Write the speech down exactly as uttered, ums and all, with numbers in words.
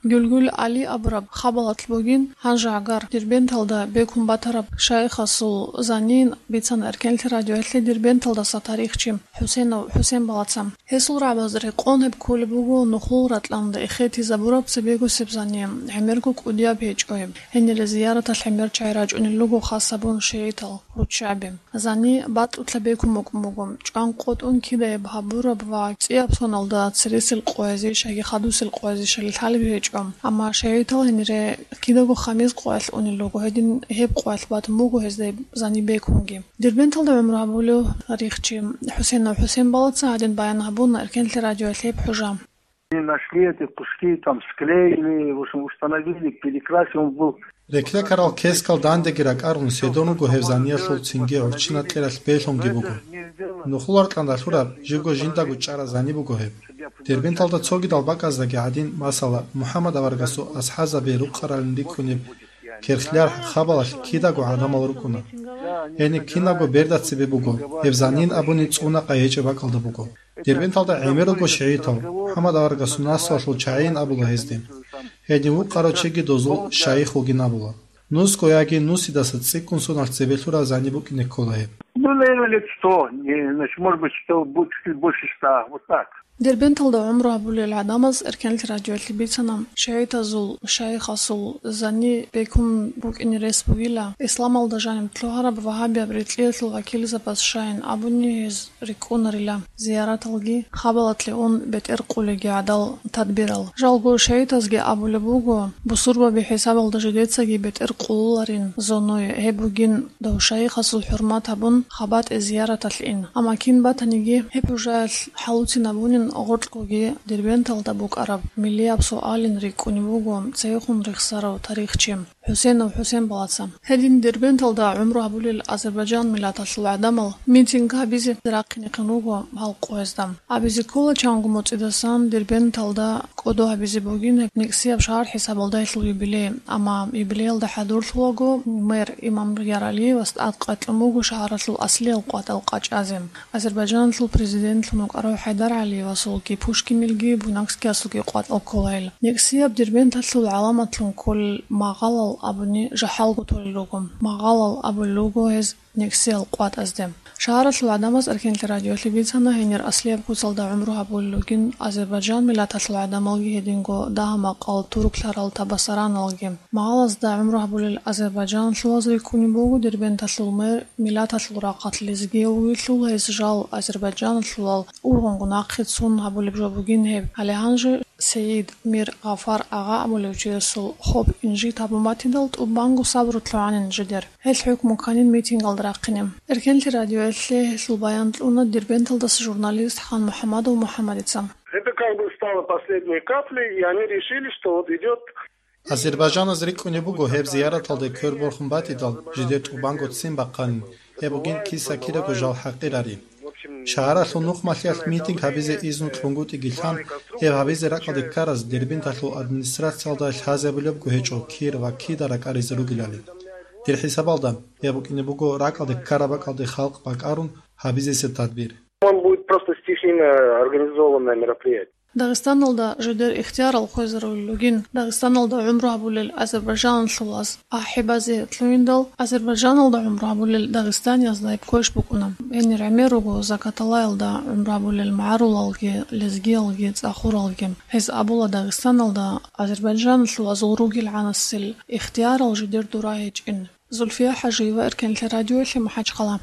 Гюлгюл Али абураб хабалалъ бугин гьанже гӀагар Дербенталда бекун батараб шайихасул занин бицана Эркенлъи радиоялъе Дербенталдаса тарихчи ХӀусенов ХӀусен балаца. Гьесул рагӀабаз рекъон гьеб кколеб буго нухлул ракьалда эхетизабураб цебегосеб зани, гӀемерго кӀудияб гьечӀо гьеб. Гьенире зияраталъ гӀемер чагӀи рачӀунел руго хас гьабун шигӀитал, руччаби. Зани батӀулъа бекун букӀун буго, чӀван къотӀун кидаяб гьабураб ва цӀияб соналда цересел къоязешаги хадусел къоязешали лъалеб гьечӀо. Амма шигӀитал гьенире кидаго хамиз къоялъ унел руго, гьедин гьеб къоялъ батун буго гьезда гьеб зани бекунги. Дербенталда гӀумру гьабулев тарихчи ХӀусенов ХӀусен балаца гьадин баян гьабуна Эркенлъи радиоялъе гьеб хӀужа. Они нашли эти куски, там склеили, в общем, установили, перекрасил он был. Рекрекарал кескал дандеги ракӀарун седон руго гьеб заниялъул цинги гӀурччина кьералъ белъунги буго. Нухлул ракьалда лъураб, живго жиндаго чӀараб зани буго гьеб. Дербенталда цогидал бакӀаздаги гӀадин, масала, МухӀаммад аварагасул асхӀабзаби рукъаралин рикӀкӀунеб керхлъархӀ хабалалъ кидаго гӀадамал рукӀуна. Гьениб кинабго берда цебе буго, гьеб занин абуни цӀуна къайгьечӀеб бакӀалда буго. Дербенталда гӀемер руго шигӀитал, МухӀаммад аварагасул наслуялъул чагӀийин абула гьезде. Гьедин вукъарав чиги дозул шайих вугин абула. Нусго яги нусидаса цӀикӀкӀун соналъ цебе лъураб зани букӀине ккола гьеб. Ну, наверное, лет сто, не, значит, может быть, сто, бу-, чуть ли больше ста, вот так. Дербенталда гӀумру гьабулел гӀадамаз Эркенлъи радиоялъе бицана, шигӀитазул шайихасул зани бекун букӀине рес бугила, исламалда жаниб лъугьараб вагьабияб рекьиялъул вакилзабаз щайин абуни гьез рикӀкӀунарила зияраталги, хабалалъе ун бетӀер къулеги гӀадал тадбирал. Жалго шигӀитазги абулеб буго, бусурбаби хӀисабалда жидецаги бетӀер къулуларин зонуе, гьеб бугин дов шайихасул хӀурмат гьабун, хабатӀе зияраталъ ин. Амма кин батаниги, гьеб хӀужаялъ хӀалуцин абунин гъоркьгоги Дербенталда букӀараб миллияб суалин рикӀкӀунеб буго цейхун рехсарав тарихчи ХӀусенов ХӀусен балаца. Гьедин Дербенталда гӀумру гьабулел азербайджан миллаталъул гӀадамал митинг гьабизе рахъинехъин руго гьал къоязда. Абизе ккола чанго моцӀидасан Дербенталда кӀодо гьабизе бугин гьеб никсияб шагьар хӀисабалда гьелъул юбилей, амма юбилеялда хӀадурлъулаго мэр Имам Яралиевас тӀадкъачлъун буго шагьаралъул аслиял къватӀал къачӀазе. Азербайджаналъул президентлъун вукӀарав ХӀайдар ГӀалиевасулги, Пушкинилги, Буйнакскиясулги къватӀал кколайил. Никсияб Дербенталъул гӀаламатлъун кколел магъалал абуни жахӀалго толел руго. Магъалал абулел руго гьез никсиял къватӀазде. Шагьаралъул гӀадамаз Эркенлъи радиоялъе бицана гьенир аслияб куцалда гӀумру гьабулел ругин азербайджан миллаталъул гӀадамалги гьединго дагьа-макъал турклъарал табасараналги. Магъалазда гӀумру гьабулел азербайджаналъулаз рикӀкӀунеб буго Дербенталъул мэр миллаталъул рахъалъ лезгияв вугелъул, гьес жал азербайджаналъулал ургъунго нахъе цун гьабулеб жо бугин гьеб. Гьале гьанже Сеид Мир Гъафар агъа абулев чиясул хоб инжит гьабун батидал, тӀубанго сабру лъугӀанин жидер. Гьел хӀукму кканин митингалда рахъине. Эркенлъи радиоялъе гьелъул баян кьуна Дербенталдаса журналист Ханмухьамадов МухӀамадица. Это как бы стало последней каплей, и они решили, что вот идет. Азербайджаназ рикӀкӀунеб буго гьеб зияраталде кверборхун батидал, жидер тӀубанго ццин бахъанин, гьеб бугин киса-кираго жал хӀакъирари. Шагьаралъул нухмалъиялъ митинг гьабизе изну кьунгутӀиги лъан, гьеб гьабизе ракӀалде ккараз Дербенталъул администрациялда лъазабулебго гьечӀо кир ва кида ракӀаризе ругелали. Дир хӀисабалда, гьеб букӀине буго ракӀалде ккараб бакӀалде халкъ бакӀарун гьабизесеб тадбир. Он будет просто стихийно организованное мероприятие. Дагъистаналда жидер ихтиярал хвезарулел ругин, Дагъистаналда гӀумру гьабулел азербайджаналъулаз ахӀи базе лъугьиндал, Азербайджаналда гӀумру гьабулел дагъистаниязда гьеб квеш букӀуна. Гьенир гӀемер руго Закаталаялда гӀумру гьабулел магӀарулалги, лезгиялги, цӀахуралги. Гьез абула Дагъистаналда азербайджаналъулазул ругел гӀанасел ихтиярал жидер дура гьечӀин. Зульфия ХӀажиева, Эркенлъи радиоялъе, МахӀачхъала.